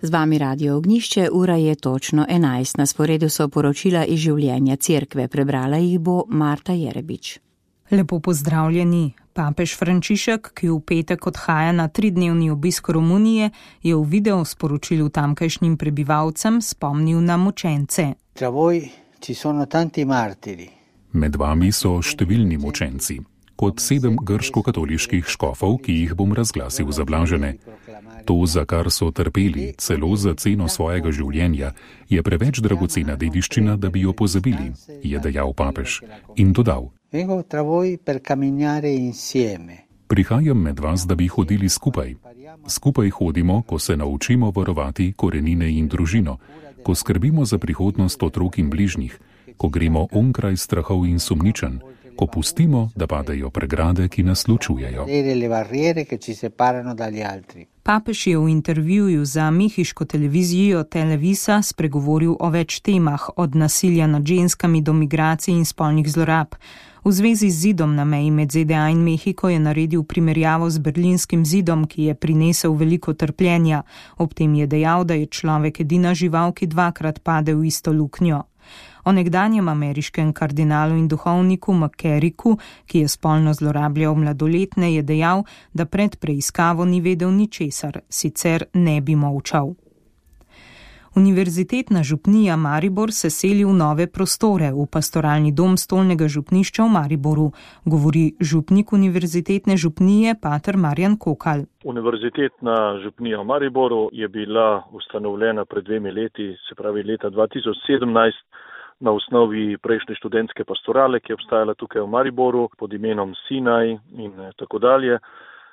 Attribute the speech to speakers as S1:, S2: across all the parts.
S1: Z vami Radio Ognjišče, ura je točno 11. Na sporedu so poročila iz življenja cerkve. Prebrala jih bo Marta Jerebič.
S2: Lepo pozdravljeni. Papež Frančišek, ki v petek odhaja na 3-dnevni obisk Romunije, je v video sporočilu tamkajšnjim prebivalcem spomnil na mučence.
S3: Med vami so številni mučenci. Kot 7 grško-katoliških škofov, ki jih bom razglasil za blažene. To, za kar so trpeli, celo za ceno svojega življenja, je preveč dragocena dediščina, da bi jo pozabili, je dejal papež in dodal. Prihajam med vas, da bi hodili skupaj. Skupaj hodimo, ko se naučimo varovati korenine in družino, ko skrbimo za prihodnost otrok in bližnjih, ko gremo onkraj strahov in sumničenj, ko pustimo, da padajo pregrade, ki nas ločujejo.
S2: Papež je v intervjuju za mehiško televizijo Televisa spregovoril o več temah, od nasilja nad ženskami do migracij in spolnih zlorab. V zvezi z zidom na meji med ZDA in Mehiko je naredil primerjavo z berlinskim zidom, ki je prinesel veliko trpljenja. Ob tem je dejal, da je človek edina žival, ki 2-krat pade v isto luknjo. O nekdanjem ameriškem kardinalu in duhovniku McCarricku, ki je spolno zlorabljal mladoletne, je dejal, da pred preiskavo ni vedel ničesar, sicer ne bi molčal. Univerzitetna župnija Maribor se seli v nove prostore v pastoralni dom stolnega župnišča v Mariboru, govori župnik univerzitetne župnije pater Marjan Kokal.
S4: Univerzitetna župnija v Mariboru je bila ustanovljena pred 2 leti, se pravi leta 2017, na osnovi prejšnje študentske pastorale, ki je obstajala tukaj v Mariboru pod imenom Sinaj in tako dalje.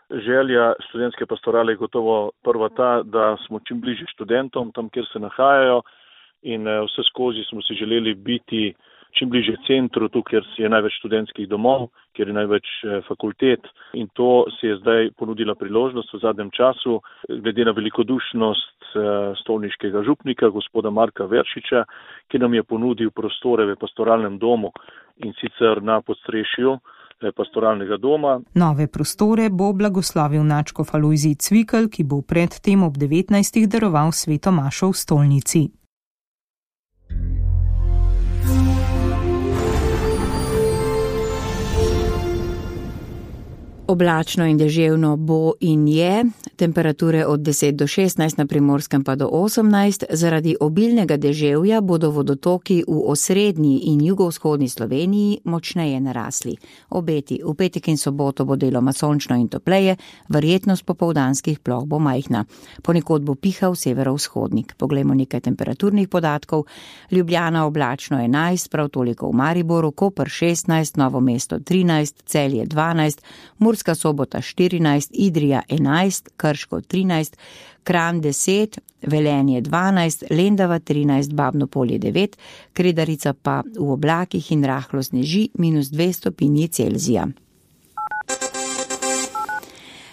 S4: Želja študentske pastorale je gotovo prva ta, da smo čim bližje študentom, tam kjer se nahajajo, in vse skozi smo si želeli biti čim bližje centru, tu kjer je največ študentskih domov, kjer je največ fakultet, in to se je zdaj ponudila priložnost v zadnjem času, glede na velikodušnost stolniškega župnika, gospoda Marka Veršiča, ki nam je ponudil prostore v pastoralnem domu, in sicer na podstrešju pastoralnega doma.
S2: Nove prostore bo blagoslovil nadškof Alojzij Cvikl, ki bo pred tem ob 19. daroval sveto mašo v stolnici.
S1: Oblačno in deževno bo in je, temperature od 10 do 16, na Primorskem pa do 18. Zaradi obilnega deževja bodo vodotoki v osrednji in jugovzhodni Sloveniji močneje narasli. Obeti v petek in soboto bo deloma sončno in topleje, verjetnost popoldanskih ploh bo majhna. Ponekod bo pihal severovzhodnik. Poglejmo nekaj temperaturnih podatkov. Ljubljana oblačno 11, prav toliko v Mariboru, Koper 16, Novo mesto 13, Celje 12, Murska Sobota 14, Idrija 11, Krško 13, Kranj 10, Velenje 12, Lendava 13, Babno Polje 9, Kredarica pa v oblakih in rahlo sneži -2 stopinji Celzija.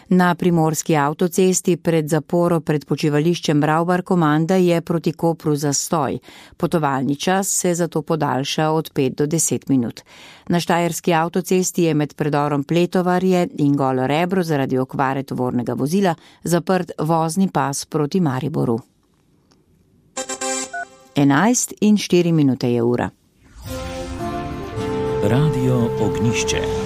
S1: Na primorski avtocesti pred zaporo pred počivališčem Ravbar-Komanda je proti Kopru zastoj. Potovalni čas se zato podaljša od 5 do 10 minut. Na štajerski avtocesti je med predorom Pletovarje in Golo Rebro zaradi okvare tovornega vozila zaprt vozni pas proti Mariboru. 11:04 je ura.
S5: Radio Ognjišče.